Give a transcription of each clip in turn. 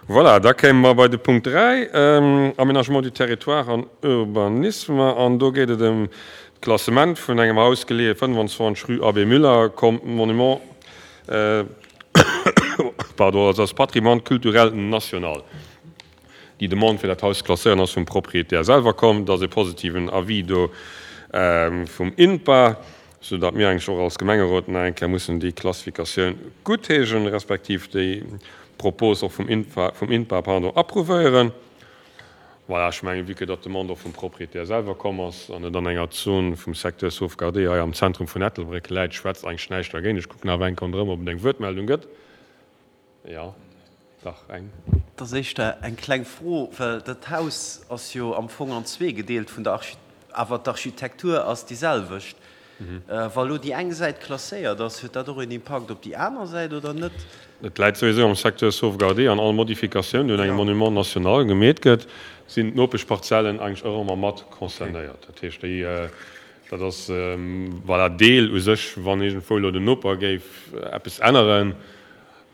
Voilà, da kéime mer bei de Punkt 3, Aménagement du territoire an Urbanisme. An do geet et ëm d'Klassement vun engem Haus, geleeë 25 rue Abbé Müller, comme Monument, pardon, also als Patrimoine culturel national. Déi Demande fir dat Haus ze klasséieren ass vum Proprietär selwer komm. Et ass e positiven Avis do vum INPA, sou datt mir eigentlech och als Gemengerot nach eng Kéier mussen déi Klassifikatioun guttheeschen, respektiv déi Propos och vum INPA, vum INPA, pardon, approuvéieren. Voilà, ech mengen, vue que datt d'Demande och vum Proprietär selwer komm ass an et an enger Zon vum Secteur sauvegardé hei am Zentrum vun Ettelbréck läit, schwätzt eigentlech näischt dergéint. Ech kucken awer eng Kéier ronderëm, ob et eng Wuertmeldung gëtt. Jo, dach, eng. Et ass éischter eng kleng Fro, well dat Haus ass jo am Fong an zwee gedeelt vun der Archi-, awer d'Architektur ass déi selwecht. Wa lo déi eng Säit klasséiert ass, huet dat och een Impakt op déi aner Säit oder net? Et läit souwisou am Secteur sauvegardé an all Modifikatioun, déi un engem Monument national gemeet gëtt, sinn d'Nopeschparzellen eigentlech och ëmmer mat concernéiert. Dat heescht, déi, dat ass, voilà, Deel u sech, wann iergendwou elo den Noper géif eppes änneren,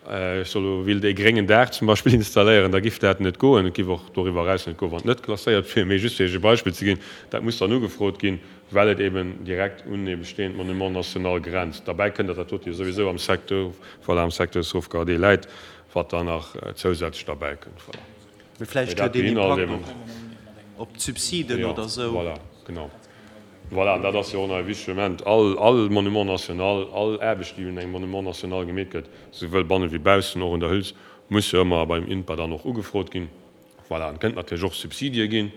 Ech soll elo willt ee gréngen Daach zum Beispill installéieren, da giff dat net goen. Et giff och doriwwer eraus net goen, wann et net klasséiert wier. Mee just fir Iech e Beispill ze ginn, dat muss dann ugefrot ginn, well et eben direkt un ee bestehend Monument national grenzt. Derbäi kënnt, datt dat dote jo souwisou am Secteur, voilà, am Secteur sauvegardé läit, wat dann nach zousätzlech derbäi kënnt. Voilà. Mee vläicht huet een Impakt och op d'Subsiden oder esou. Voilà, genau. Voilà, an dat ass jo och nach e wichtege Moment. All, all Monument national, all Aarbecht, déi un engem Monument national gemeet gëtt, souwuel banne wéi baussen, och un der Hüls, muss jo ëmmer beim INPA dann och ugefrot ginn. Voilà, an et kënnt natierlech och Subsidie ginn.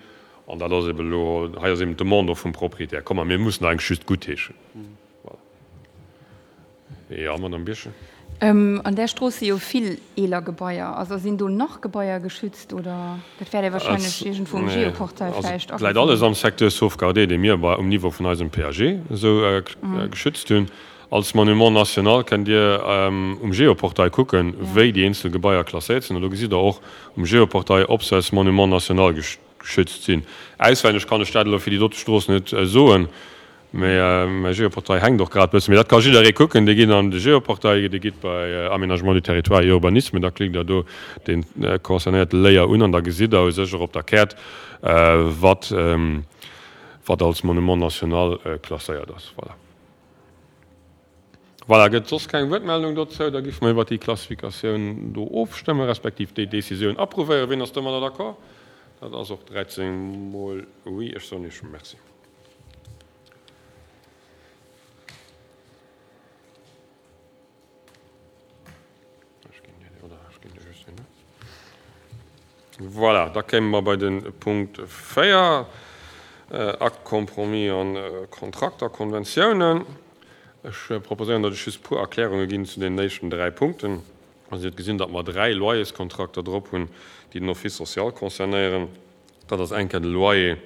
An dat ass eben elo, hei ass eben d'Demande och vum Proprietär komm a mir mussen eigentlech just guttheeschen. Voilà. Jo, Madame Birchen. An där Strooss si jo vill eeler Gebaier. Also sinn do nach Gebaier geschützt oder? Dat wäert ee wahrscheinlech iergendwou um Geoportail vläicht agesinn. Et läit alles am Secteur sauvegardé, dee mir um Niveau vun eisem PAG esou geschützt hunn. Als Monument national kënnt Dir um Geoportail kucken, wéi déi eenzel Gebaier klasséiert sinn. An do gesitt Der och um Geoportail, ob se als Monument national geschützt sinn. Auswenneg kann ech dat elo fir déi dote Strooss net soen. Mee mäi Geoportail hänkt och grad bëssen. Mee dat ka jidderee kucken. Dir gitt an de Geoportail, Dir gitt bei Aménagement du territoire et urbanisme, da klickt Der do dee concernéierte Layer un an da gesitt Der u sech och op der Käert, wat wat als Monument national klasséiert ass. Voilà. Voilà, gëtt soss keng Wuertmeldung dozou? Da giffe mer iwwert déi Klassifikatioun do ofstëmmen, respektiv déi Décisioun approuvéieren. Wien ass domadder d'accord? Dat ass och 13 mol oui. Ech soen Iech Merci. Voilà, da kéime mer bei de Punkt 4, Acte compromis an Kontrakter, Konventiounen. Ech proposéieren, datt ech just e puer Erklärunge ginn zu deenen éischten dräi Punkten. Also Dir hutt gesinn, datt mer dräi Loyerskontrakter drop hunn, déi den Office social concernéieren. Dat ass eng Kéier de Loyer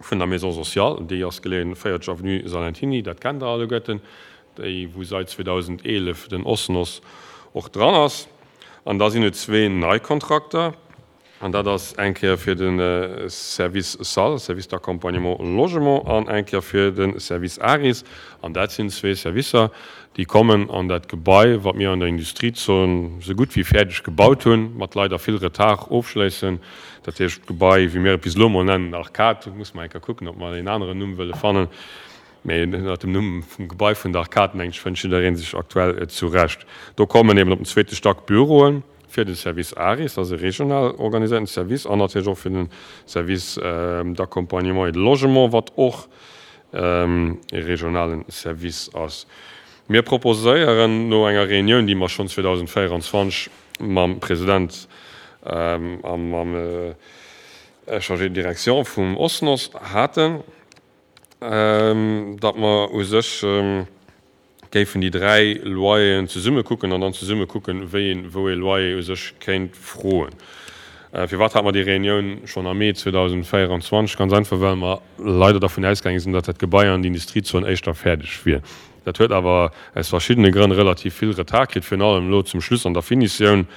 vun der Maison sociale, déi ass geleeën 40 avenue Salentiny, dat kennt Der alleguerten, déi wou sait 2011 den OSNOS och dran ass. An da sinn et zwee nei Kontrakter, an dat ass eng Kéier fir de Service SAL, Service d'accompagnement logement, an eng Kéier fir de Service ARIS. An dat sinn zwee Servicer, déi kommen an dat Gebai, wat mir an der Industriezon esou gutt wéi fäerdeg gebaut hunn, mat leider vill Retard ofschléissen. Dat heescht, d'Gebai, wéi mir et bis elo emol nennen, Arcade, do musse mer eng Kéier kucken, ob mer en aneren Numm wëlle fannen, mee ënner dem Numm vum Gebai vun der Arcade, mengen ech, fënnt jidderee sech aktuell zurecht. Do kommen eben op den zweete Stack Büroen fir de Service ARIS, dat ass e regional organiséierten Service, an natierlech och fir de Service d'accompagnement et de logement, wat och e regionalen Service ass. Mir proposéieren no enger Reunioun, déi mer schonn 2024 mam President a mam Chargé de direction vum OSNOS haten, datt mer u sech géifen déi dräi Loyeren zesumme kucken an dann zesumme kucken, wéi een wou ee Loyer u sech kéint froen. Firwat hate mer déi Reunioun schonn am Mee 2024? Ganz einfach, well mer leider dervun ausgaange sinn, datt dat Gebai an d'Industriezon éischter fäerdeg wier. Dat huet awer aus verschiddene Grënn relativ vill Retard kritt, virun allem elo zum Schluss an der Finitioun,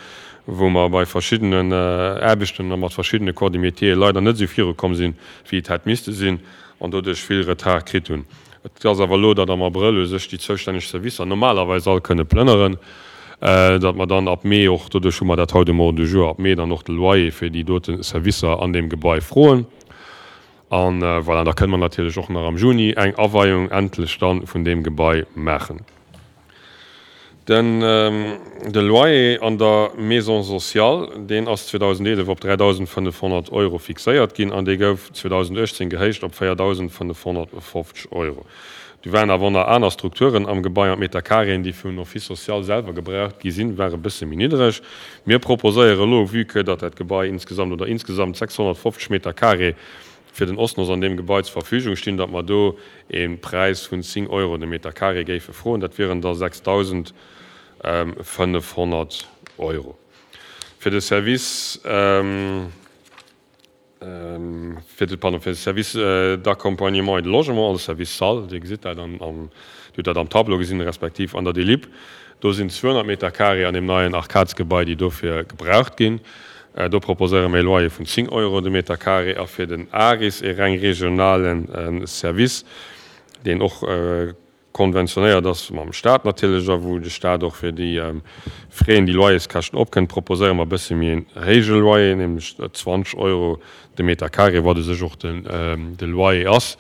wou mer bei verschiddenen Aarbechten a mat verschiddene Corps de métiere leider net esou virukomm sinn, wéi et hätt misste sinn, an doduerch vill Retard kritt hunn. Et ass awer elo, datt am Abrëll u sech déi zoustänneg Servicer normalerweis all kënne plënneren. Datt mer dann ab Mee och, doduerch hu mer dat haut um Ordre du jour, ab Mee dann och de Loyer fir déi dote Servicer an deem Gebai froen. An voilà, da kënne mer natierlech och nach am Juni eng Aweiung endlech dann vun deem Gebai maachen. Den de Loyer an der Maison sociale, deen ass 2011 op 3.500 Euro fixéiert ginn an dee gouf 2018 gehéicht op 4.550 Euro. Du waren awer och nach aner Strukturen am Gebai an d'Meterkareeën, déi vum Office social selwer gebraucht gi sinn, ware bësse méi niddreg. Mir proposéiere elo, vue que datt dat Gebai insgesamt oder insgesamt 650 Meterkaree fir den OSNOS an deem Gebai zur Verfügung stinn, datt mer do e Präis vun 10 Euro de Meterkaree géife froen. Dat wieren da 6.500 Euro. Fir de Service. Fir de, pardon, fir de Service d'accompagnement et de logement, also Service SAL, Dir gesitt dat an, an, Dir hutt dat am Tableau gesinn, respektiv an der Delib, do sinn 200 Meter carré an deem neien Arcadesgebai, déi dofir gebraucht ginn. Do proposéiere mir e Loyer vun 10 Euro de Meter carré. A fir den ARIS, e reng regionale Service, deen och konventionéiert ass mam Stat natierlech a wou de Stat och fir déi Fräen, déi Loyerskäschten opkënnt, proposéiere mer e bësse méi en héije Loyer, nämlech 20 Euro de Meter carré, wat u sech och de Loyer ass.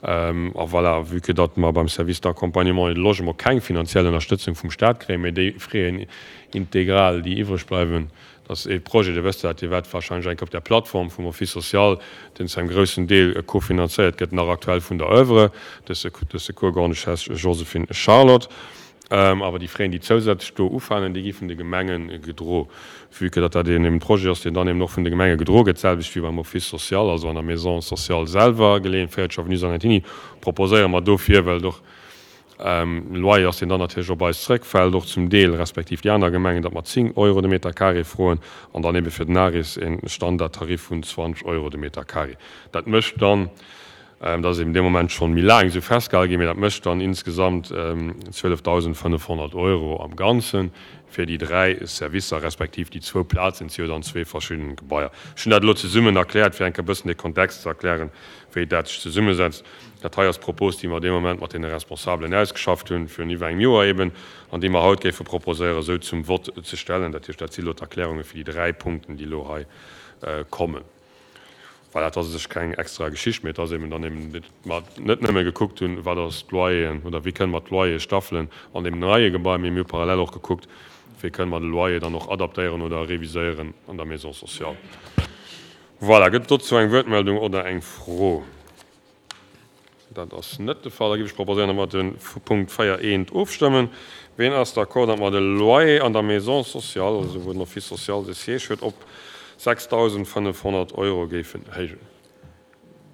A voilà, vue que datt mer beim Service d'accompagnement et de logement keng finanziell Ënnerstëtzung vum Stat kréien, mä déi Fräen integral, déi iwwreg bleiwen, Dat ass ee Projet, Dir wësst dat, Dir waart wahrscheinlech eng Kéier op där Plattform vum Office social, deen zu engem groussen Deel kofinanzéiert gëtt, nach aktuell vun der Oeuvre de Secours Grande-Duchesse Joséphine Charlotte. Awer déi Fräen, déi zousätzlech do ufalen, déi gi vun de Gemenge gedro. Vue que datt dat een eben Projet ass, deen dann eben och vun de Gemenge gedro gëtt, d'selwecht wéi beim Office social, also an der Maison sociale selwer, geleeën, 40 Avenue Zanettini, proposéiere mer dofir, well et och Loyer ass, deen dann natierlech op eis zrëckfält, och zum Deel, respektiv déi aner Gemengen, datt mer 10 Euro de Meter carré froen an dann ebe fir den ARIS e Standardtarif vun 20 Euro de Meter carré. Dat mécht dann, dat ass eben dee Moment schonn méi laang esou festgehale ginn, mee dat mécht dann insgesamt 12.500 Euro am Ganze fir déi dräi Servicer, respektiv déi zwou Plazen, et si jo dann zwee verschidden Gebaier. Ech hunn dat elo zesummen erkläert, fir eng Kéier e bëssen de Kontext ze erklären, wéi dat sech zesummesetzt. Dat hei ass d'Propos, déi mer dee Moment mat deene Responsabelen ausgeschafft hunn, virun iwwer engem Joer eben, an déi mer haut géife proposéieren, esou zum Vott ze stellen. Dat heescht, dat si elo d'Erklärunge fir déi dräi Punkten, déi elo hei kommen. Voilà, et ass u sech keng extra Geschicht, mee et ass eben dann eben, datt mer net nëmme gekuckt hunn, wat ass d'Loyeren oder wéi kënne mer d'Loyere staffelen an deem neie Gebai, mee mir hu parallel och gekuckt, wéi kënne mer de Loyer dann och adaptéieren oder reviséieren an der Maison sociale. Voilà, gëtt et dozou eng Wuertmeldung oder eng Fro? Dat ass net de Fall. Da géif ech proposéieren, datt mer de Punkt 4 eent ofstëmmen. Ween ass d'accord, datt mer de Loyer an der Maison sociale, also wou den Office social de Siège huet, op 6.500 Euro géifen héijen?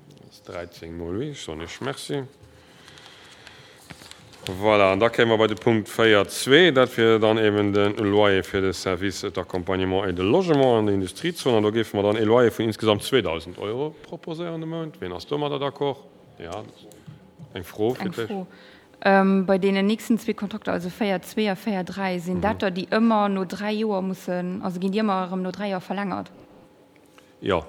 Dat ass 13 mol oui. Ech soen Iech Merci. Voilà, an da kéime mer bei de Punkt 4.2. Dat wier dann eben de Loyer fir de Service d'accompagnement et de logement an der Industriezon. An do géife mer dann ee Loyer vun insgesamt 2.000 Euro proposéieren de Mount. Wien ass domadder d'accord? Jo, eng Fro fir d'éischt. Eng Fro. Bei deenen nächsten zwee Kontrakter, also 4.2 a 4.3, sinn dat der, déi ëmmer no dräi Joer mussen, also ginn déi ëmmer erëm no dräi Joer verlängert? Jo,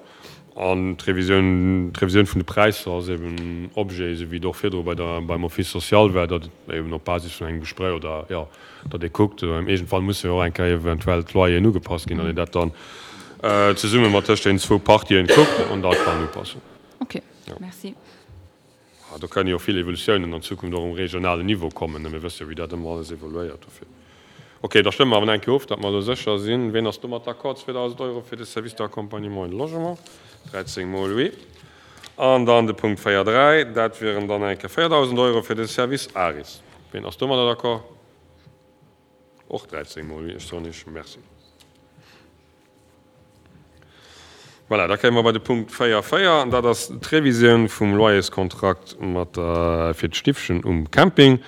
an d'Revisioun, d'Revisioun vun de Präisser ass eben Objet, esou wéi et och virdru bei der, beim Office social war, datt et eben op Basis vun engem Gespréich oder, jo, datt ee kuckt, iergendwann musse jo och eng Kéier eventuell d'Loyeren ugepasst ginn, datt een dat dann zesumme mat tëscht deenen zwou Partien kuckt an dat kann upassen. Okay, merci. Do kënnen jo vill Evolutiounen an Zukunft och um regionalen Niveau kommen. Mir wësse jo, wéi dat ëmmer alles evoluéiert. Dofir, okay, da stëmme mer awer nach eng Kéier of, datt mer elo sécher sinn. Ween ass domat d'accord? 2.000 Euro fir de Service d'accompagnement et de logement, 13 mol oui. An dann de Punkt 4.3, dat wieren dann eng Kéier 4.000 Euro fir de Service ARIS. Ween ass domadder d'accord? Och 13 mol oui. Ech soen Iech Merci. Voilà, da kéime mer bei de Punkt 4, 4, an dat ass d'Revisioun vum Loyerskontrakt mat der, fir d'Stiffchen um Camping.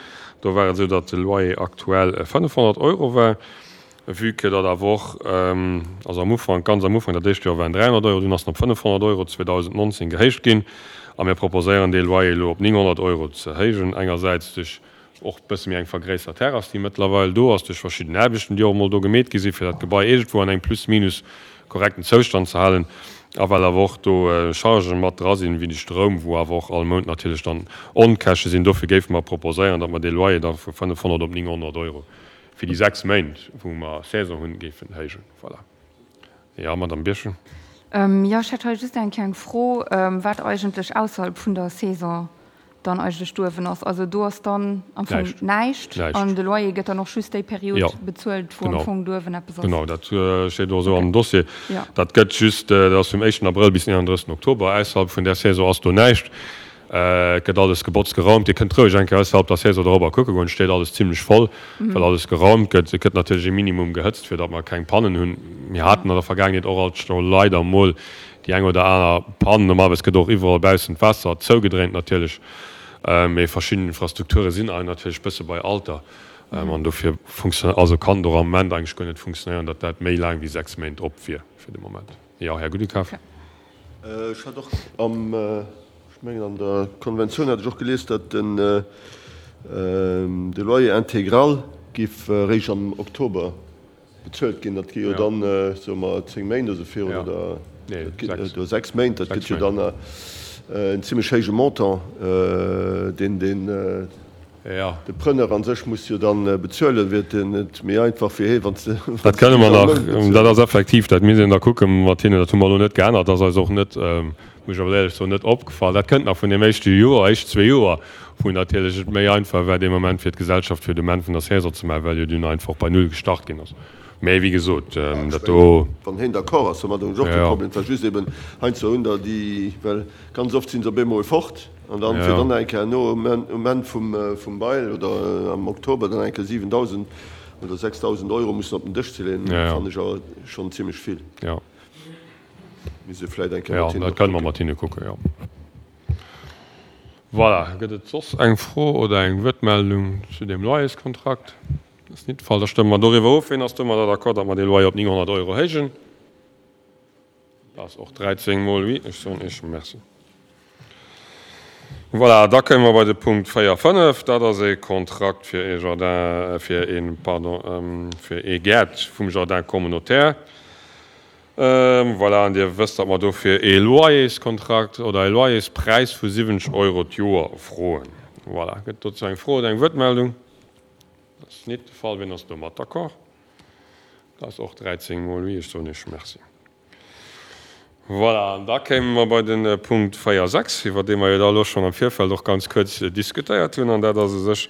Do war et esou, datt de Loyer aktuell 500 Euro war. Vue que datt awer och, also am Ufank, ganz am Ufank, dat éischt Joer waren 300 Euro, dunn ass en op 500 Euro 2019 gehéicht ginn. A mir proposéieren dee Loyer elo op 900 Euro ze héijen, engersäits duerch Och e bësse méi eng vergréissert Terrass, déi mëttlerweil do ass, duerch verschidden Aarbechten, déi och emol do gemeet gi sinn, fir dat Gebai iergendwou an engem plus minus korrekten Zoustand ze halen. A well awer och do Chargen mat dra sinn, wéi de Stroum, wou awer och all Mount natierlech dann Onkäschte sinn. Dofir géife mer proposéieren, datt mer dee Loyer da vu 500 op 900 Euro. fir déi 6 Méint, wou mer Saison hunn, géifen héijen. Voilà. Jo, Madamm Birchen. Jo, ech hätt hei just eng kleng Fro, wat eigentlech ausserhalb vun der Saison dann eigentlech douewen ass. Also do ass dann am Fong näischt an de Loyer gëtt dann och just déi Period bezuelt, wou am Fong douewen eppes ass. Genau, dat steet och esou am Dossier. Dat gëtt just, dat ass vum éischten Abrëll bis den 31. Oktober. Ausserhalb vun där Saison ass do näischt. Et gëtt alles gebotzt, geraumt. Dir kënnt roueg eng Kéier ausserhalb der Saison dorobber kucke goen. Et steet alles zimlech voll, well alles geraumt gëtt. Et gëtt natierlech ee Minimum gehëtzt, fir datt mer keng Pannen hunn. Mir haten an der Vergaangenheet och alt scho leider mol déi eng oder aner Pann. Normalerweis gëtt och iwwerall baussen d'Waasser zougedréint natierlech. Mee verschidden Infrastrukture sinn hei natierlech bësse bei Alter. An dofir funktione, also kann et och am Moment eigentlech guer net funktionéieren, datt dat méi laang wéi 6 Méint op wier fir de Moment. Jo, Här Gudekaf. Ech hat och am, ech mengen an der Konventioun hat ech och gelies, datt den de Loyer intégral géif eréischt am Oktober bezuelt ginn. Dat gi jo dann, soe mer, 10 Méint oder sou virun, oder dat ginn oder 6 Méint. Dat gëtt jo dann en zimlech héije Montant, deen den De Preneur an sech muss jo dann bezuelen. Wier et net méi einfach fir hee wann s de Dat kënne mer nach, dat ass effektiv, dat misst een da kucke mat hinnen. Dat hu mer elo net geännert, ass eis och net, muss ech awer éierlech soen, net opgefall. Dat kënnt nach vun deem éischte Joer, éischt zwee Joer, wou natierlech et méi einfach war dee Moment fir d'Gesellschaft fir de Moment vun der Saison ze maachen, well jo dunn einfach bei Null gestart ginn ass. Mä wéi gesot, dat do. Wann heen d'accord ass, domat hunn ech och kee Problem. Et war just eben heiansdo hunn der déi, well ganz oft si se op eemol fort. An dann, fir dann eng Kéier no um Enn vum Bail oder am Oktober dann eng Kéier 7.000 oder 6.000 Euro mussen op den Dësch ze leeën, fannen ech awer schonn zimlech vill. Misst ee vläicht eng Kéier mat hinne kucken. Jo, dat kënne mer mat hinne kucken, jo. Voilà, gëtt et soss eng Fro oder eng Wuertmeldung zu deem Loyerskontrakt? Dat ass nit de Fall. Da stëmme mer doriwwer of. Ween ass domadder d'accord, datt mer dee Loyer op 900 Euro héijen? Dat ass och 13 mol oui. Ech soen Iech Merci. Voilà, da kënne mer bei de Punkt 4, 5. Dat ass e Kontrakt fir ee Jardin, fir ee, pardon, fir ee Gäert vum Jardin communautaire. Voilà, an Dir wësst, datt mer dofir ee Loyerskontrakt oder ee Loyerspräis vu 70 Euro d'Joer froen. Voilà, gëtt dozou eng Fro oder eng Wuertmeldung? Dat ass nit de Fall. Wien ass domat d'accord? Dat ass och 13 mol oui. Ech soen Iech Merci. Voilà, an da kéime mer bei de Punkt 4, 6, iwwer dee mer jo da elo schonn am Virfeld och ganz kuerz diskutéiert hunn. An dat ass u sech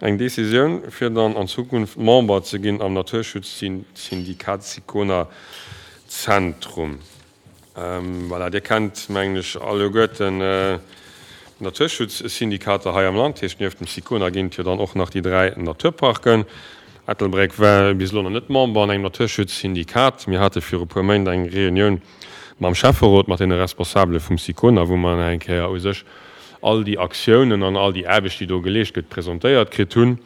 eng Décisioun, fir dann an Zukunft Member ze ginn am Naturschutzsyndikat Sicona Zentrum. Voilà, Dir kennt, mengen ech, alleguerten d'Naturschutzsyndikater hei am Land. Heescht, nieft dem Sicona ginn et jo dann och nach déi 3 Naturparken. Ettelbréck war bis elo nach net Member an engem Naturschutzsyndikat. Mir hate viru puer Méint eng Reunioun mam Schäfferot, mat deene Responsabele vum Sicona, wou mer nach eng Kéier u sech all déi Aktiounen an all déi Aarbecht, déi do geleescht gëtt, presentéiert kritt hunn.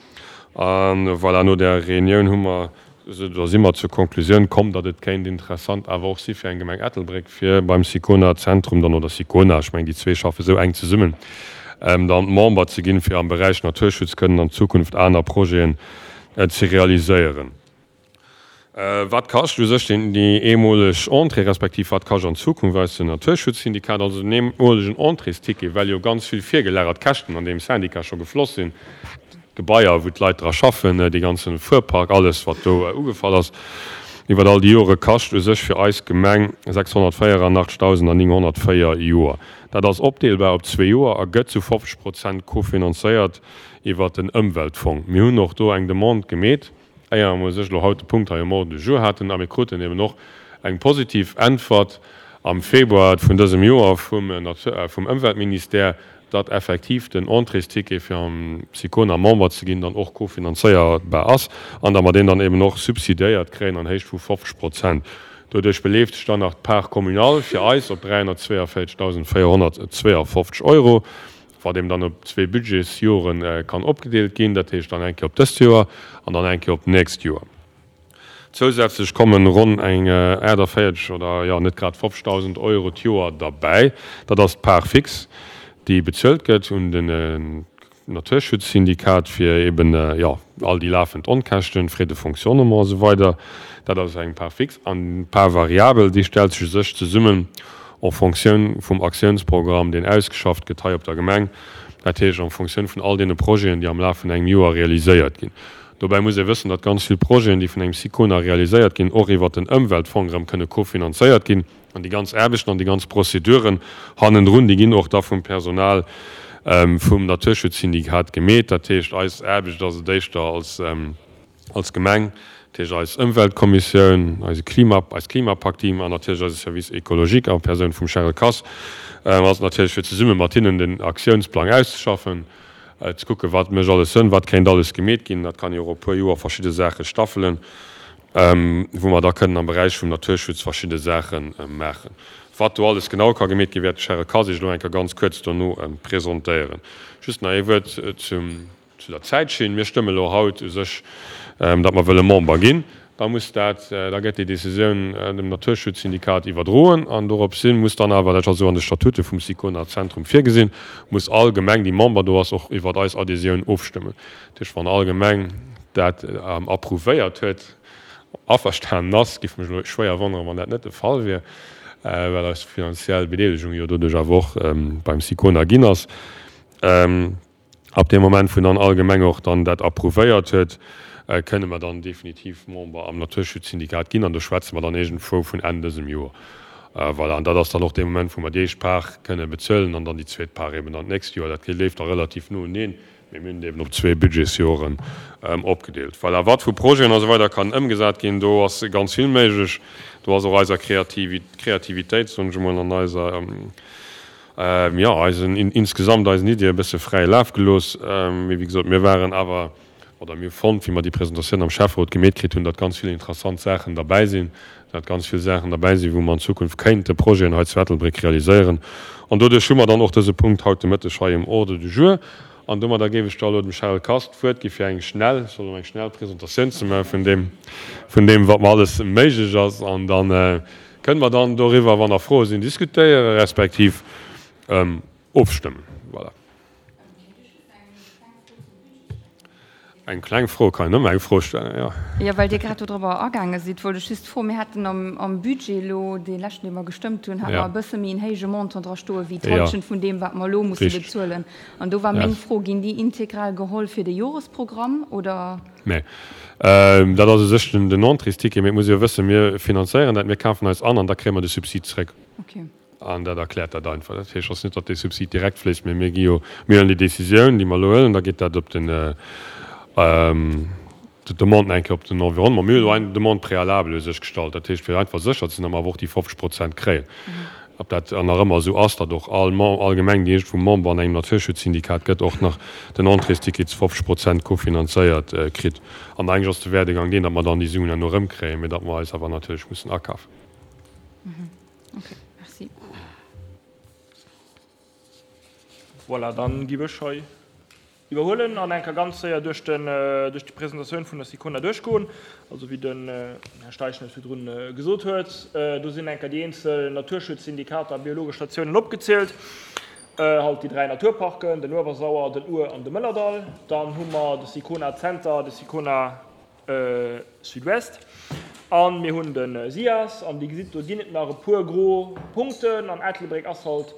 A voilà, no där Reunioun hu mer Da si mer zur Konklusioun komm, datt et kéint interessant awer och si fir eng Gemeng Ettelbréck, fir beim Sicona Zentrum dann, oder Sicona, ech mengen déi zwee schaffe sou enk zesummen, dann Member ze ginn, fir am Beräich Naturschutz kënnen an Zukunft aner Projeten ze realiséieren. Wat kascht u sech déi eemoleg Entrée, respektiv wat kascht an Zukunft eis den Naturschutzsyndikat, also den eemolegen Entréesticket, well jo ganz vill virgelagert Käschten an deem Syndicat scho gefloss sinn, D'Gebaier, wou d'Leit dra schaffen, dee ganze Fuerpark, alles wat do ugefall ass iwwer all déi Jore, kascht u sech fir eis Gemeng 684.904 Joer. Dat ass opdeelbar op zwee Joer a gëtt zu 50 Prozent kofinanzéiert iwwer den Ëmweltfong. Mir hunn och do eng Demande gemeet, éier mer u sech elo haut de Punkt hei um Ordre du jour haten, a mir kruten eben och eng positiv Äntwert am Februar vun dësem Joer vum Ëmweltministère, datt effektiv den Entréesticket fir am Sicona Member ze ginn dann och kofinanzéierbar ass an datt mer deen dann eben och subsidiéiert kréien an Héicht vu 50 Prozent. Doduerch beleeft sech dann nach d'Part communale fir eis op 342.452 Euro, wat eben dann op zwee Budgetsjore kann opgedeelt ginn, dat heescht dann eng Kéier op dëst Joer an dann eng Kéier op d'nächst Joer. Zousätzlech kommen ronn eng 48 oder jo net grad 50.000 Euro d'Joer derbäi. Dat ass d'Part fixe, déi bezuelt gëtt un den Naturschutzsyndikat fir eben jo all déi lafend Onkäschten, Frais de fonctionnement a sou weider. Dat ass eng Part fixe. An d'Part variable, déi stellt sech u sech zesummen en Fonctioun vum Aktiounsprogramm, deen ausgeschafft gëtt hei op der Gemeng, dat heescht en Fonctioun vun all deene Projeten, déi am Laf vun engem Joer realiséiert ginn. Dobäi muss ee wëssen, datt ganz vill Projeten, déi vun engem SICONA realiséiert ginn, och iwwert den Ëmweltfong erëm kënne kofinanzéiert ginn. An déi ganz Aarbechten an déi ganz Prozeduren hannendrun, déi ginn och da vum Personal vum Naturschutzsyndikat gemeet. Dat heescht, eis Aarbecht ass et éischter als, als Gemeng, dat heescht eis Ëmweltkommissioun, eise Klima, eist Klimapakt-Team an natierlech eise Service écologique en Persoun vum Charel Kass, ass et natierlech fir zesumme mat hinnen den Aktiounsplang auszeschaffen, ze kucken, wat mécht alles Sënn, wat kéint alles gemeet ginn. Dat kann ee och op e puer Joer verschidde Saache staffelen, wou mer da kënnen am Beräich vum Naturschutz verschidde Saache maachen. Wat do alles genau ka gemeet ginn, wäert de Charel Kass Iech elo eng Kéier ganz kuerz dono presentéieren. Just nach ee Wuert zum. Zu der Zäitschinn, Mir stëmme elo haut u sech, datt mer wëlle Member ginn. Da muss dat, da gëtt déi Décisioun dem Naturschutzsyndikat iwwerdroen an doropshin muss dann awer, dat ass esou an de Statute vum Sicona Zentrum virgesinn, muss all Gemeng, déi Member do ass, och iwwert eis Adhésioun ofstëmmen. Dat heescht, wann all Gemeng dat approuvéiert huet, averstanen ass, géif mech elo schwéier wonneren, wann dat net de Fall wier, well eis finanziell Bedeelegung jo doduerch awer och beim Sicona ginn ass. Ab deem Moment, wou dann all Gemeng och dann dat approuvéiert huet, kënne mer dann definitiv Member am Naturschutzsyndikat ginn. An do schwätze mer dann iergendwou vun Enn dësem Joer. Voilà, an dat ass dann och dee Moment, wou mer déi éischt Part kënne bezuelen an dann déi zweet Part eben dann d'nächst Joer. Dat leeft da relativ no uneen, mee mir hunn et eben op zwee Budgetsjoren opgedeelt. Voilà, wat vu Projeten a sou weider kann ëmgesat ginn, do ass ganz vill méiglech. Do ass och eiser Kreativitéit, soen ech emol, an eiser, Jo, eisen, insgesamt eisen Iddie e bësse fräie Laf gelooss. Mee wéi gesot, mir waren awer, oder mir hu fonnt, wéi mer déi Presentatioun am Schäfferot gemeet kritt hunn, datt ganz vill interessant Saachen derbäi sinn, datt ganz vill Saachen derbäi sinn, wou mer an Zukunft kéinte Projeten hei zu Ettelbréck realiséieren. An doduerch hu mer dann och dëse Punkt haut de Mëtteg hei um Ordre du jour. An domadder géif ech da elo dem Charel Kass d'Wuert gi fir eng schnell, ech soll elo eng schnell Presentatioun ze maachen vun deem, vun deem wat mer alles méiglech ass. An dann Kënne mer dann doriwwer, wann nach Froe sinn, diskutéieren, respektiv ofstëmmen. Voilà. Eng kleng Fro, kann een ëmmer eng Fro stellen, jo. Jo, well Dir grad dodrobber agaange sidd, wollt ech just froen, Mir haten am Budget elo, dee leschten, dee mer gestëmmt hunn, hate mer e bësse méi en héije Montant dra stoe wéi d'Hallschent vun deem, wat mer elo musse bezuelen. An do war meng Fro, Ginn déi integral geholl fir de Joresprogramm oder? Nee. Dat ass u sech den Entréesticket. Mee et muss ee jo wëssen, mir finanzéieren dat, mir kafen eis an an da kréie mer de Subsid zréck. An dat erkläert dat einfach. Dat heescht, ass net, datt dee Subsid direkt fléisst, mee mir gi jo, mir huelen déi Décisioun, déi mer elo huelen, da geet dat op den, d'Demande eng Kéier op den Environnement. Mir hunn elo eng Demande préalable u sech gestallt, dat heescht, fir einfach sécher ze sinn, datt mer awer och déi 50 Prozent kréien. Ob dat nach ëmmer esou ass, datt och all all Gemeng, déi iergendwou Member an engem Naturschutzsyndikat gëtt, och nach den Entréesticket zu 50 Prozent kofinanzéiert kritt. An eigentlech ass de Werdegang deen, datt mer dann déi Suen herno erëmkréien, mee datt mer eis awer natierlech mussen akafen. Ok, merci. Voilà, dann giff ech hei Iwwerhuelen an eng Kéier ganz séier duerch den, duerch déi Presentatioun vun der Sicona duerchgoen. Also wéi den Här Steichen et virdrun gesot huet, do sinn eng Kéier déi eenzel Naturschutzsyndikater a biologesch Statiounen opgezielt, halt déi 3 Naturparken, den Uewersauer, den Our an de Mëllerdall. Dann hu mer de Sicona Zenter, de Sicona Sud-Ouest. An mir hunn de SIAS, an Dir gesitt, do ginn et nach e puer gro Punkten, an Ettelbréck ass halt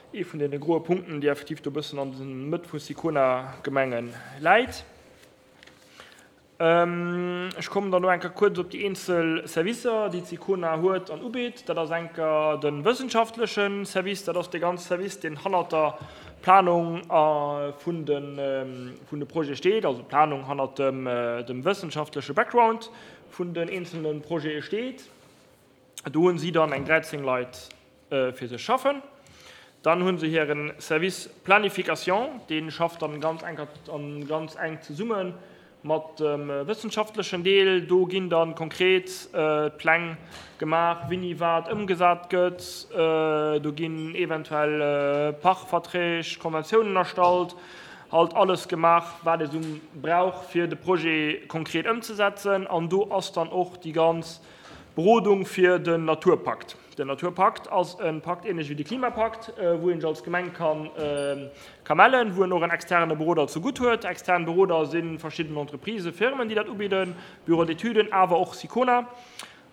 ee vun deene groe Punkten, déi effektiv do e bëssen an der Mëtt vu Sicona-Gemenge läit. Ech kommen dann elo eng Kéier kuerz op déi eenzel Servicer, déi d'Sicona huet an ubitt. Dat ass eng Kéier de wëssenschaftleche Service, dat ass dee ganze Service, deen hannert der Planung vun de Projete steet, also d'Planung hannert dem wëssenschaftleche Background vun den eenzelne Projete steet. Do hunn si dann eng 13 Leit fir sech schaffen. Dann hu se hire Service Planification, dee schafft dann ganz enk ganz enk zesumme Mat dem wëssenschaftlechen Deel, do ginn da konkret d'Pläng gemaach, wéini wat ëmgesat gëtt. Do ginn eventuell Pachtverträg, Konventiounen erstallt, halt alles gemaach, wat ee sou brauch, fir de Projet konkret ëmzesetzen. An do ass dann och déi ganz Berodung fir den Naturpakt. Den Naturpakt ass e Pakt, ähnlech wéi de Klimapakt, wou een sech als Gemeng ka mellen, wou en och en externe Beroder zegutt huet. Extern Beroder si verschidden Entreprisen, Firmen, déi dat ubidden, Bureaux d'études, awer och Sicona.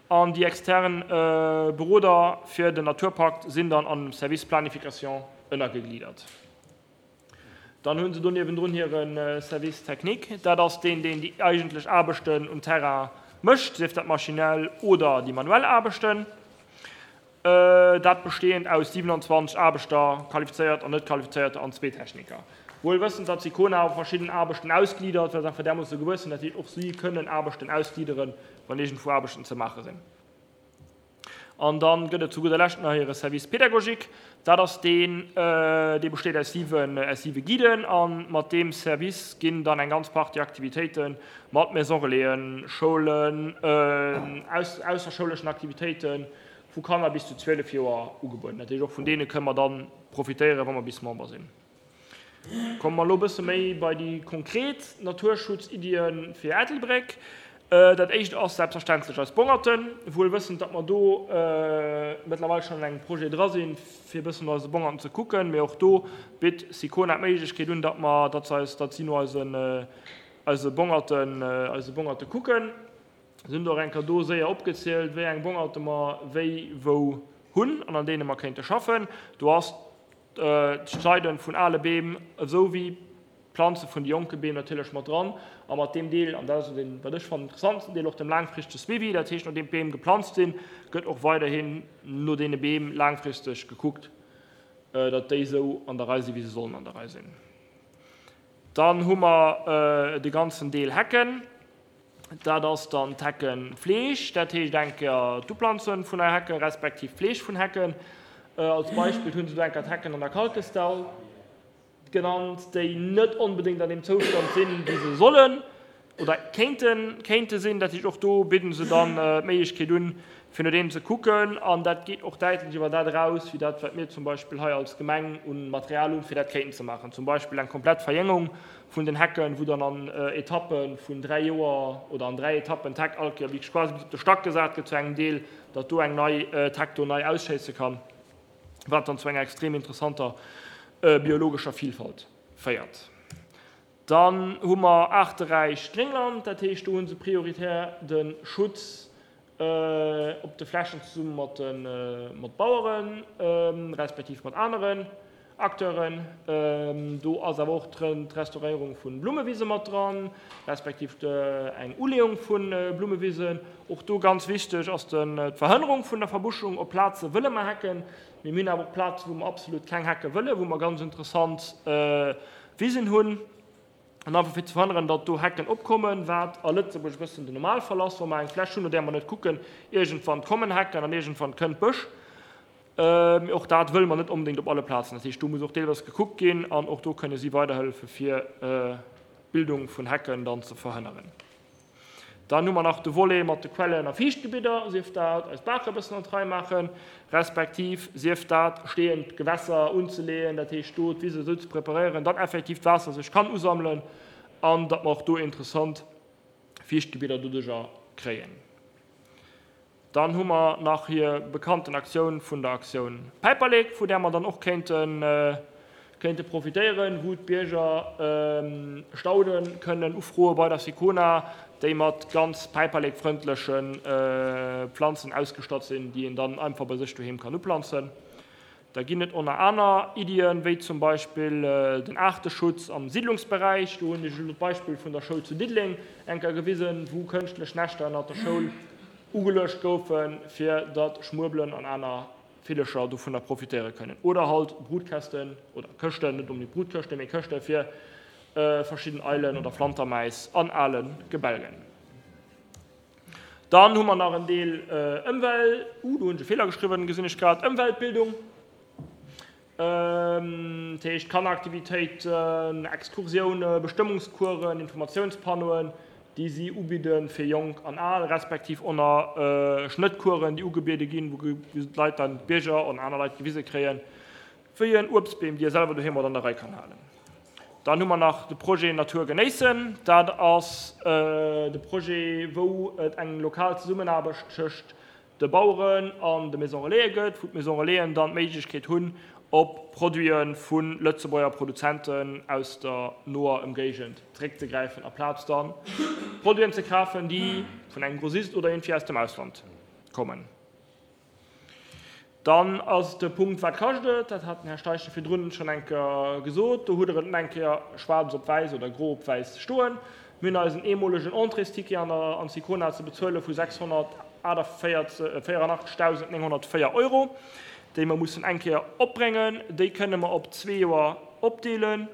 An déi extern Beroder fir den Naturpakt sinn dann an dem Service Planification ënnergegliedert. Dann hu se do niewendrun hire Service technique. Dat ass deen, deen déi eigentlech Aarbechten um Terrain mécht, sief dat maschinell oder déi manuell Aarbechten. Dat bestehend aus 27 Aarbechter, qualifizéiert an net qualifizéierter, an zwee Techniker. Wuel wëssend, datt Sicona och verschidden Aarbechten ausgliddert, well se einfach därmoosse gewuess sinn, dat heescht och si kënnen Aarbechten ausglidderen, wann iergendwou Aarbechten ze maache sinn. An da gëtt et zu gudder Lescht nach hire Service pédagogique. Dat ass deen, dee besteet aus siwe, aus siwe Guiden. A mat deem Service ginn dann eng ganz Partie Aktivitéite mat Maison Relaisen, Schoulen, aus, ausserschouleschen Aktivitéite vu Kanner bis zu 12 Joer ugebueden. Dat heescht, och vun deene kënne mer da profitéieren, wa mer bis Member sinn. Komme mer elo e bësse méi bei déi konkret Naturschutziddië fir Ettelbréck. Dat éischt ass selbstverständlech eis Bongerten, wuel wëssend, datt mer do mëttlerweil schonn an engem Projet dra sinn, fir e bëssen no eise Bongerten ze kucken. Mee och do bitt Sicona d'Méiglechkeet un, datt mer, datt se eis, datt si no eisen, eise Bongerten, eise Bongerte kucken. Se hunn och eng Kéier do séier opgezielt, wéi eng Bongerte mer wéi wou hunn an an deene mer kéinte schaffen. Do ass d'Schneiden vun ale Beem esou wéi d'Planze vun de jonke Beem natierlech mat dran a mat deem Deel, an dat ass deen, wat ech fannen, interessantsten Deel, och dem laangfristege Suivi. Dat heescht, nodeem d'Beem geplanzt sinn, gëtt och weiderhin no deene Beem laangfristeg gekuckt, datt déi esou an der Rei sinn, wéi se sollen an der Rei sinn. Dann hu mer de ganzen Deel Hecken. Dat ass dann d'Heckenfleeg, dat heescht eng Kéier d'Uplanze vun nei Hecken, respektiv d'Fleeg vun Hecken. Als Beispill hu se do eng Kéier d'Hecken an der Kalkestall genannt, déi net onbedéngt an deem Zoustand sinn, wéi se sollen oder kéinten, kéinte sinn. Dat heescht, och do bidden se dann d'Méiglechkeet un, fir no deem ze kucken. An dat geet och däitlech iwwer dat eraus, wéi dat, wat mir zum Beispill hei als Gemeng un Material hunn, fir dat kéinten ze maachen. Zum Beispill eng komplett Verjéngung vun den Hecken, wou dann an Etappe vun 3 Joer oder an 3 Etappen d'Heck all Kéier wierklech quasi bis op de Stack gesat gëtt zu engem Deel, datt do eng nei d'Heck do nei ausschéisse kann, wat dann zu enger extrem interessanter biologescher Vielfalt féiert. Dann hu mer aarteräicht Gréngland, dat heescht do hu se prioritär de Schutz op de Flächen zesumme mat de mat Baueren, respektiv mat aneren Acteuren. Do ass awer och d'Restauréierung vu Blummewise mat dran, respektiv eng Uleeung vu Blummewisen. Och do ganz wichteg ass d'Verhënnerung vun der Verbuschung. Op Plaze wëlle mer Hecken, mee mir hunn awer och Plaze wou mer absolut keng Hecke wëllen, wou mer ganz interessant Wisen hunn. An einfach fir ze verhënneren, datt do Hecken opkommen, wat a Lëtzebuerg e bëssen den Normalfall ass, wa mer eng Fläch hunn, no där mer net kucken, iergendwann kommen Hecken an iergendwann kënnt Bësch. Mee och dat wëlle mer net onbedéngt op alle Plazen. Dat heescht, do muss och deelweis gekuckt ginn an och do kënne si weiderhëllefe fir d'Bildung vun Hecken dann ze verhënneren. Dann hu mer nach de Volet mat de Quellen a Fiichtgebidder, sief dat eis Baache e bëssen an d'Rei maachen, respektiv sief dat steeënd Gewässer unzeleeën, dat heescht do d'Wise esou ze preparéieren, datt effektiv d'Waasser sech kann usammelen an datt mer och do interessant Fiichtgebidder doduerjer kréien. Dann hu mer nach hir bekannten Aktioun vun der Aktioun Päiperlek, vu där mer dann och kéinte kéinte profitéieren, wou d'Bierger Staude kënnen ufroe bei der Sicona, déi mat ganz päiperlekfrëndleche Planzen ausgestatt sinn, déi een dann einfach bei sech doheem kann uplanzen. Da ginn et ënner aner Iddien, wéi zum Beispill den Aarteschutz am Siddlungsberäich. Do hunn ech elo d'Beispill vun der Schoul zu Diddeleng eng Kéier gewisen, wou kënschtlech Näschter ënnert der Schoul ugeluecht goufen, fir datt Schmuebelen an aner Villecher dovunner profitéiere kënnen. Oder halt Brutkästen oder Këschten, net onbedéngt Brutkëschten, mee Këschte fir verschidden Eilen oder Flantermäis an ale Gebälgen. Dann hu mer nach en Deel Ëmwel-, uh, do hunn ech e Feeler geschriwwen, gesinn ech grad, Ëmweltbildung, dat heescht Kanneraktivitéiten, Exkursiounen, Bestëmmungscoursen, Informatiounspannoen, déi si ubidde fir Jonk an Al, respektiv och nach Schnëttcoursen, déi ugebiede ginn, wou d'Leit dann, d'Bierger an aner Leit gewise kréien, wéi en Uebstbeem, déi e selwer doheem mat an der Rei kann halen. Dann hu mer nach de Projet Natur genéissen. Dat ass de Projet, wou et eng lokal Zesummenaarbecht tëscht de Baueren an de Maison Relaisen gëtt, wou d'Maison Relaisen dann d'Méiglechkeet hunn, op Produite vu Lëtzebuerger Produzenten aus der noer Ëmgéigend zeréckzegräifen, aplaz dann Produiten ze kafen, déi vun engem Grossist oder iergendwéi aus dem Ausland kommen. Dann ass de Punkt, Wat kascht et? Dat hat den Här Steichen virdrun schonn eng Kéier gesot. Do hutt Der et eng Kéier schwaarz op wäiss oder gro op wäiss stoen. Mir hunn eisen eemolegen Entréesticket an der an Sicona ze bezuele vu 684.904 Euro, déi mer mussen eng Kéier opbréngen. Déi kënne mer op zwee Joer opdeelen.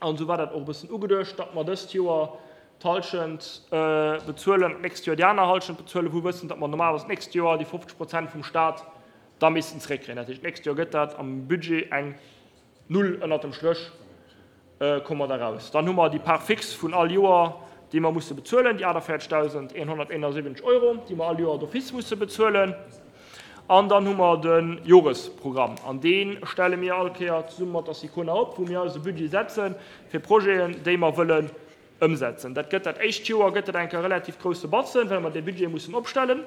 An esou war dat och e bëssen ugeduecht, datt mer dëst Joer d'Hallschent bezuelen an d'nächst Joer déi aner Hallschent bezuelen, wou wëssend, datt mer normalerweis d'nächst Joer déi 50 Prozent vum Stat da missten zeréckkréien. Dat heescht, d'nächst Joer gëtt dat am Budget eng Null ënnert dem Stréch, komme mer da raus. Dann hu mer déi Part fixe vun all Joer, déi mer musse bezuelen, déi 48.171 Euro, déi mer all Joer d'office musse bezuelen. An dann hu mer de Joresprogramm, an dee stelle mir all Kéier zesumme mat der SICONA op, wou mir eise Budget setze fir Projeten, déi mer wëllen ëmsetzen. Dat gëtt dat éischt Joer gëtt dat eng Kéier e relativ grousse Batzen, well mer dee Budget mussen opstellen.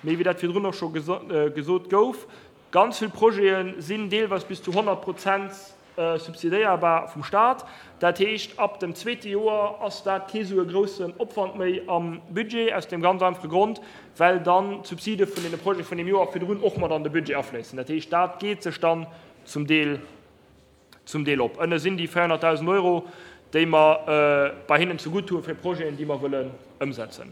Mee wéi dat virdrun och scho gesot gouf, Ganz vill Projete sinn deelweis bis zu 100 Prozent subsidéierbar vum Staat. Dat heescht, ab dem zweete Joer ass dat kee sou e groussen Opwand méi am Budget, aus deem ganz einfache Grond, well dann d'Subside vun deene Projete vun deem Joer virdrun och mat an de Budget afléissen. Dat heescht, dat geet sech dann zum Deel zum Deel op. Ënne sinn déi 400.000 Euro, déi mer bei hinnen zegutt hu fir Projeten, déi mer wëllen ëmsetzen.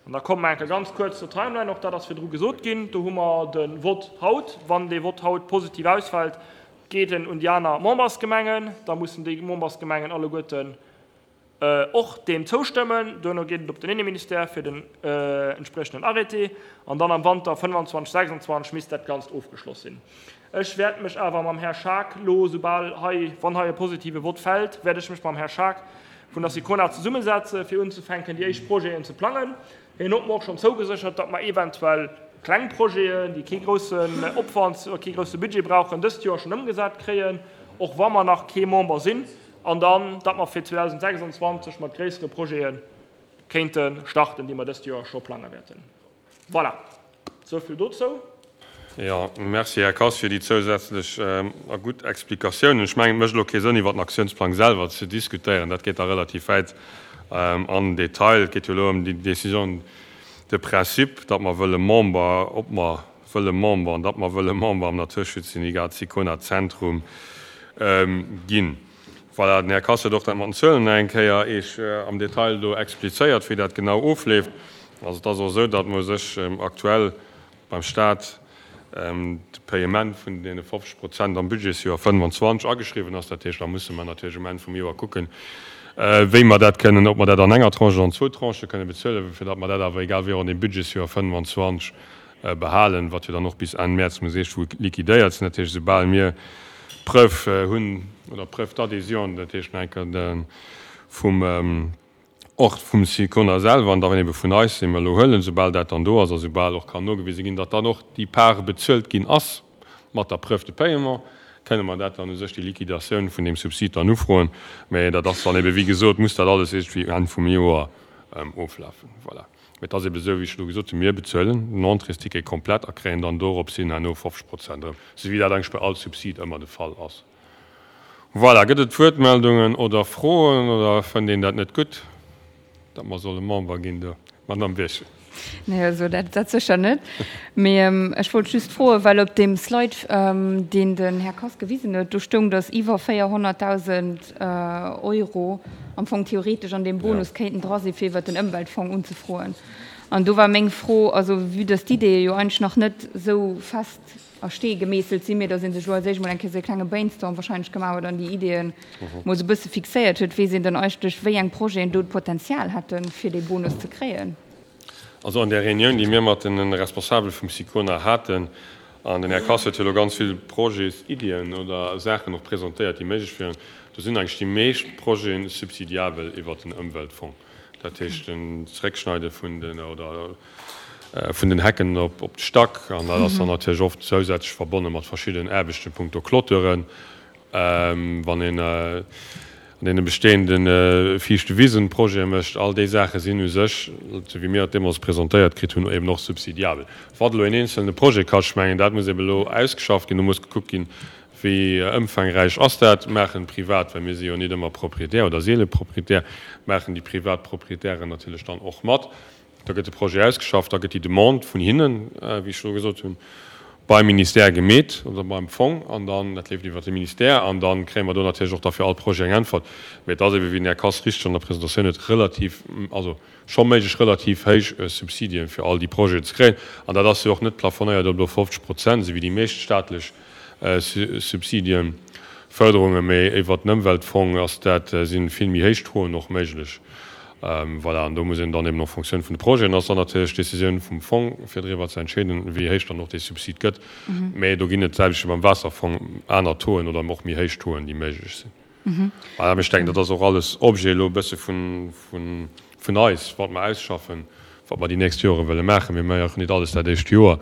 An da komme mer eng Kéier ganz kuerz zur Timeline, och dat ass virdru gesot ginn. Do hu mer de Vott haut. Wann dee Vott haut positiv ausfält, geet en un déi aner Membersgemengen. Da mussen déi Membersgemengen alleguerten och deem zoustëmmen. Duerno geet et op den Inneministère fir den entspriechenden Arrêté an dann am Wanter 25, 26 misst dat Ganzt ofgeschloss sinn. Ech wäert mech awer mam Här Schaack lo, soubal hei, wann hei e positive Vott fält, wäert ech mech mam Här Schaack vun der Sicona zesummesetze fir unzefänken déi éischt Projeten ze plangen. Hien huet mer och schonn zougeséchert, datt mer eventuell kleng Projeten, déi kee groussen Opwand oder kee grousse Budget brauchen, dëst Joer schonn ëmgesat kréien, och wa mer nach kee Member sinn. An dann, datt mer fir 2026 mat gréissere Projete kéinte starten, déi mer dëst Joer scho plange wäerten. Voilà, esou vill dozou. Jo, merci, Här Kass, fir déi zousätzlech a gutt Explikatiounen. Ech mengen, et mécht elo kee Sënn, iwwer den Aktiounsplang selwer ze diskutéieren. Dat geet da relativ wäit an den Detail. Et geet jo elo ëm déi Décision de principe, datt mer wëlle Member, ob mer wëlle Member an datt mer wëlle Member am Naturschutzsyndikat Sicona Zentrum ginn. Voilà, den Här Kass huet och dat mat den Zuelen nach eng Kéier Iech am Detail do explizéiert, wéi dat genau ofleeft. Also et ass och esou, datt mer u sech aktuell beim Stat de Payement vun deene 50 Prozent am Budgetsjoer 25 ageschriwwen ass. Dat heescht, da musse mer natierlech um Enn vum Joer kucken, wéi mer dat kënnen, ob mer dat an enger Tranche oder an zwou Tranchë kënne bezuelen, fir datt mer dat awer egal wéi och an deem Budgetsjoer 25 behalen, wat jo dann och bis Enn Mäerz muss iergendwou liquidéiert sinn. Dat heescht, esoubal mir d'Preuve hunn, oder d'Preuve d'adhésion, dat heescht nach eng Kéier vum, och vum Sicona selwer an dann ebe vun eis, déi mer elo huelen, soubal dat dann do ass a soubal och kann nogewise ginn, datt dann och déi Part bezuelt ginn ass mat der Preuve de paiement, kënne mer dat dann u sech, déi Liquidatioun vun deem Subsid dann ufroen. Mä dat ass dann ebe, wéi gesot, muss dat alles iergendwéi Enn vum Joer oflafen. Voilà. Et ass ebe sou, wéi ech elo gesot hunn, mir bezuelen den Entréesticket komplett a kréien dann dorops hin herno 50 Prozent erëm, sou wéi dat eigentlech bei all Subsid ëmmer de Fall ass. Voilà, gëtt et Wuertmeldungen oder Froen oder fënnt een dat net gutt, datt mer solle Member ginn do? Madamm Birchen. Nee, also dat, dat sécher net. Mee ech wollt just froen, well op deem Slide, deen den Här Kass gewisen huet, do stoung, datt iwwer 400.000 Euro am Fong theoretesch an deem Bonus kéinten dra sinn, fir iwwert den Ëmweltfong unzefroen. An do war meng Fro, also vue dass d'Ideeë jo eigentlech nach net esou fest a Stee gemeesselt sinn, mee dass ee sech elo als éischt mol eng Kéier esou e klenge Brainstorm wahrscheinlech gemaach huet an déi Ideeën mol esou e bësse fixéiert huet, weess een dann eigentlech, wéi eng Projeten do d'Potenzial hätten, fir dee Bonus ze kréien? Also an där Reunioun, déi mir mat de Responsabele vum Sicona haten, an den Här Kass huet jo elo ganz vill Projetsiddien oder Saachen och presentéiert, déi méiglech wieren, do sinn eigentlech déi meescht Projete subsidiabel iwwert den Ëmweltfong. Dat heescht den Zeréckschneide vun den, oder vun den Hecken op de Stack. An dat ass dann natierlech oft zousätzlech verbonne mat verschiddenen Aarbechten punkto Clôturen. Wann een an deene bestehende fiichte Wisen Projete mécht, all déi Saache sinn u sech, esou wéi mir et deemools presentéiert kritt hunn, eben och subsidiabel. Wat elo een eenzelne Projet kascht, ech mengen, dat muss eben elo ausgeschafft ginn. Do muss gekuckt ginn, wéi ëmfangräich ass dat. Maachen privat, well mir si jo nit ëmmer Proprietär oder seele Proprietär, maachen déi privat Proprietären natierlech dann och mat. Da gëtt de Projet ausgeschafft, da gëtt déi Demande vun hinnen, wéi ech elo gesot hunn. Beim Ministère gemeet oder beim Fong an dann, dat leeft iwwert de Ministère an da kréie mer do natierlech och da fir all Projet eng Äntwert. Mee et ass ebe wéi den Här Kass richteg an der Presentatioun huet relativ, also scho méiglech relativ héich Subsidien fir all déi Projeten ze kréien. An dat ass jo och net plafonéiert op elo 50 Prozent, esou wéi déi meescht staatlech Subsidien, Förderungen, mee iwwert den Ëmweltfong ass dat, si vill méi héich Tauxen och méiglech. Voilà, an do muss een dann eben en fonction vun de Projeten, ass dann natierlech d'Décisioun vum Fong, fir driwwer ze entscheeden, wéi héich dann och dee Subsid gëtt. Mä do ginn et, d'selwecht wéi beim Waasserfong, aner Tauxen oder och méi héich Tauxen, déi méiglech sinn. Voilà, mä ech denken, dat ass och alles Objet elo e bësse vun eis, wat mer ausschaffen, wat mer déi nächst Jore wëlle maachen. Mir maachen nit alles dat éischt Joer,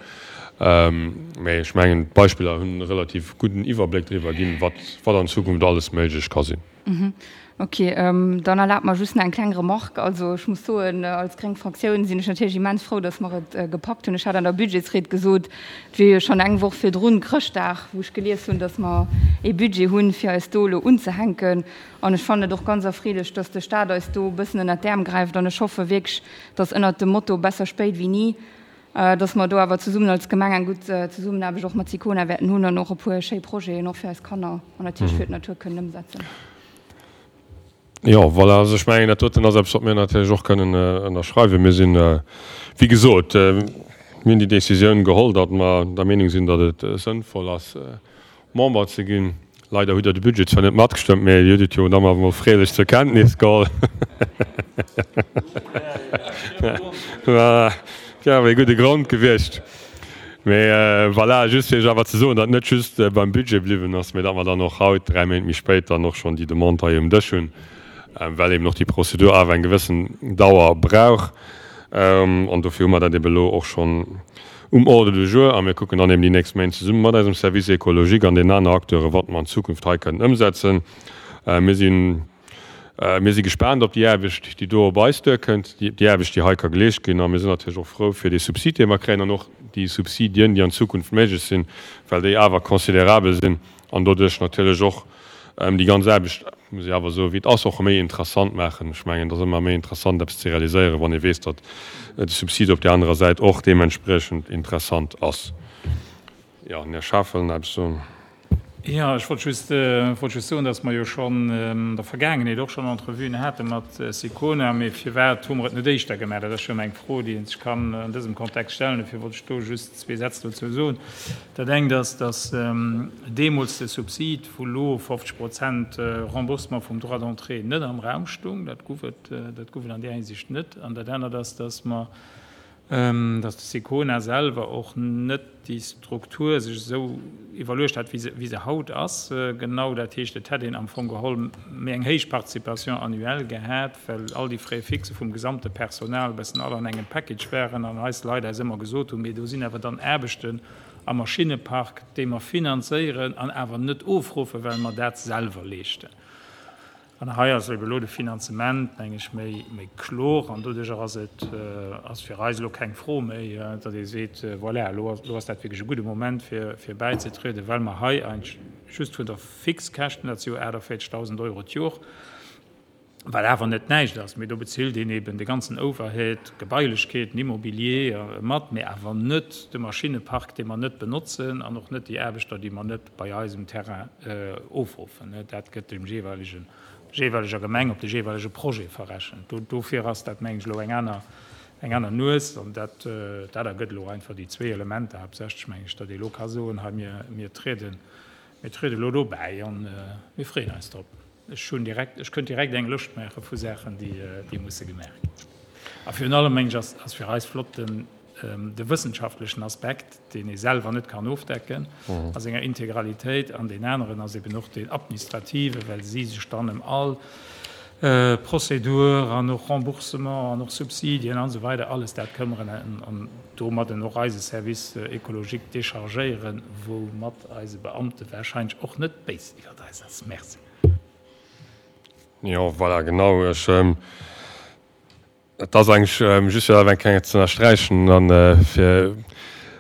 mä ech mengen, d'Beispiller hunn e relativ gudden Iwwerbléck driwwer ginn, wat an Zukunft alles méiglech ka sinn. Ok, dann erlaabt mer just nach eng kleng Remarque. Also ech muss soen, als gréng Fraktioun sinn ech natierlech immens frou, datt mer et gepackt hunn. Ech hat an der Budgetsried gesot, et wier jo schonn eng Woch virdrun, Chrëschtdag, wou ech gelies hunn, datt mer ee Budget hunn, fir eis do elo unzehänken. An ech fannen et och ganz erfreelech, datt de Stat eis do e bëssen ënnert d'Äerm gräift. An ech hoffe wierklech, datt ënnert dem Motto besser spéit wéi ni, datt mer do awer zesummen als Gemeng eng gutt Zesummenaarbecht och mat SICONA wäerten hunn an och e puer schéi Projeten och fir eis Kanner an natierlech fir d'Natur kënnen ëmsetzen. Jo, voilà, also ech mengen, dat doten ass eppes, wat mir natierlech och kënnen ënnerschreiwen. Mir sinn, wéi gesot, mir hunn déi Décisioun geholl, datt mer der Meenung sinn, datt et sënnvoll ass, Member ze ginn. Leider hutt Der de Budget zwar net matgestëmmt, mä Dir hutt et jo dann awer mol freelech zur Kenntnis geholl. Voilà, dat wär awer ee gudde Grond gewiescht. Mä voilà, just fir Iech awer ze soen, datt et net just beim Budget bliwwen ass, mä datt mer dann och haut, 3 Méint méi spéit, dann och schonn déi Demande hei um Dësch hunn, well eben och déi Prozedur awer eng gewëssen Dauer brauch. An dofir hu mer dat eben elo och schonn um Ordre du jour a mir kucken dann eben déi nächst Méint zesumme mat eisem Service écologique an den aner Acteuren, wat mer an Zukunft hei kënnen ëmsetzen. Mir sinn, mir si gespaant op déi Aarbecht, déi do op eis duerkënnt, déi Aarbecht, déi hei ka geleescht ginn. A mir sinn natierlech och frou fir dee Subsid, dee mer kréien an och déi Subsidien, déi an Zukunft méiglech sinn, well déi awer considerabel sinn an doduerch natierlech och déi ganz Aarbecht, muss ech awer soen, wéi et ass, och méi interessant maachen. Ech mengen, et ass ëmmer méi interessant, eppes ze realiséieren, wann ee weess, datt de Subsid op där anerer Säit och deementspriechend interessant ass. Jo, den Här Schaaf wëll nach eppes soen. Jo, ech wollt just, wollt just soen, datt mer jo schonn an der Vergaangenheet och schonn Entrevuen hate mat Sicona. Mee firwat hu mer et net éischter gemaach? Dat ass jo ëmmer eng Fro, déi ee sech kann an dësem Kontext stellen. Dofir wollt ech do just zwee Sätz dozou soen. Dat engt ass, datt deemools de Subsid vu lo 50 Prozent Remboursement vum Droit d'entrée net am Raum stung. Dat gouf et, dat gouf et an där Hinsicht net. An dat anert ass, datt mer, datt de Sicona selwer och net déi Struktur sech esou iwwerluecht hat, wéi se, wéi se haut ass. Genau, dat heescht, et hätt een am Fong geholl méi eng héich Participation annuelle gehat, well all déi Frais fixes vum gesamte Personal e bëssen all an engem Package waren an eis Leit eis ëmmer gesot hunn, mee do sinn awer dann Aarbechten am Maschinnepark, déi mer finanzéieren an awer net ofruffen, well mer dat selwer leeschten. An hei ass ebe elo de Finanzement, meng ech, méi, méi kloer an doduerjer ass et, ass fir eis elo keng Fro méi, datt ee seet, voilà, elo ass, elo ass dat wierklech e gudde Moment fir, fir bäizetrieden, well mer hei eigentlech just vun der Fixkäschten, dat si jo 48.000 Euro d'Jor, wat awer net näischt ass, mee do bezilt een eben de ganzen Overhead, d'Gebailechkeeten, Immobilier mat, mee awer net de Maschinnepark, dee mer net benotzen an och net déi Aarbechter, déi mer net bei eis um Terrain ofruffen. Dat gëtt dem jeeweilegen, jeeweileger Gemeng op de jeeweilege Projet verrechent. Dofir ass dat, mengen ech, elo eng aner, eng aner Nues an dat, dat ergëtt elo einfach déi zwee Elementer haaptsächlech, mengen ech, datt ee elo ka soen, hei mir, mir trieden, mir triede elo do bäi a mir freeën eis drop. Ech hunn direkt, ech kënnt direkt eng Lëscht maache vu Saachen, déi, déi musse gemaach ginn. A virun allem, mengen ech, ass, ass fir eis flott den, de wëssenschaftlechen Aspekt, deen ee selwer net kann ofdecken a senger Integralitéit. An deen aneren ass eben och deen administrative, well si sech dann ëm all Prozedur an och Remboursement an och Subsidien an esou weider alles dat këmmeren an domadden och eise Service écologique déchargéieren, woumat eise Beamte wahrscheinlech och net béis iwwert eis ass. Merci. Jo, voilà, genau. Ech, et ass eigentlech just fir dat eng Kéier ze ënnersträichen an fir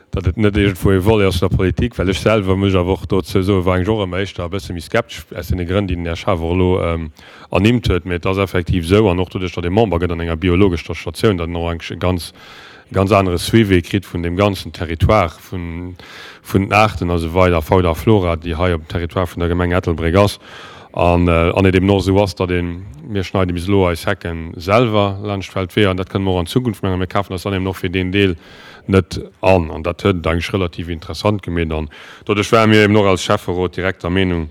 datt et net iergendwou e Volet ass vun der Politik, well ech selwer, muss ech awer och dozou soen, war eigentlech och ëmmer éischter e bësse méi skeptesch aus deene Grënn, déi den Här Schaaf och elo ernimmt huet. Mee et ass effektiv esou, an och doduerch, datt ee Member gëtt an enger biologescher Statioun, datt een och eigentlech e ganz. e ganz anere Suivi kritt vun deem ganzen Territoire vun den Aarten a sou weider, Fauna a Flora, déi hei op dem Territoire vun der Gemeng Ettelbréck ass. An an et eben och esou ass, datt een, mir schneide bis elo eis Hecke selwer laanscht d'Feldweeër an dat kënne mer och an Zukunft maachen, mir kafen eis dann eben och fir deen Deel net an. An dat huet et eigentlech relativ interessant gemeet an doduerch ware mir eben och als Schäfferot direkt der Meenung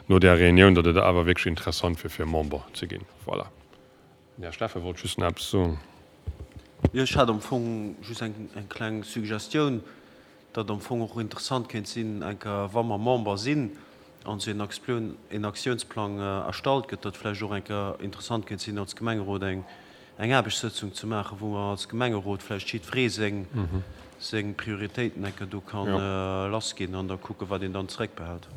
no där Reunioun, datt et awer wierklech interessant wier fir Member ze ginn. Voilà. Den Här Steffen wollt just nach eppes soen. Jo, ech hat am Fong just eng kleng Suggestioun, datt am Fong och interessant kéint sinn, eng Kéier, wa mer Member sinn an esou een Aktiounsplang erstallt gëtt, datt vläicht och eng Kéier interessant kéint sinn, als Gemengerot eng Aarbechtssëtzung ze maachen, wou mer als Gemengerot vläicht jiddweree seng seng Prioritéiten eng Kéier do ka lassginn an da kucken, wat een dann zeréckbehält.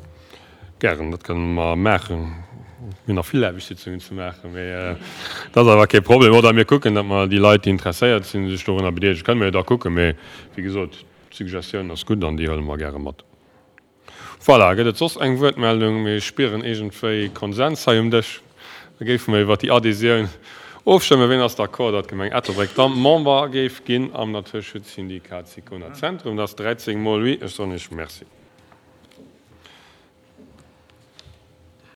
Gären, dat kënne mer maachen. Mir hunn nach vill Aarbechtssitzungen ze maachen, mee dat ass awer kee Problem. Oder mir kucken, datt mer déi Leit, déi interesséiert sinn, sech dorunner bedeelegen. Kënne mer jo da kucken. Mee wéi gesot, d'Suggestioun ass gutt an déi huele mer gäre mat. Voilà, gëtt et soss eng Wuertmeldung? Mir spieren iergendwéi Konsens hei um Dësch. Da géife mer iwwert déi Adhésioun ofstëmmen. Ween ass d'accord, datt d'Gemeng Ettelbréck da Member géif ginn am Naturschutzsyndikat Sicona Zentrum? Dat ass 13 mol oui. Ech soen Iech Merci.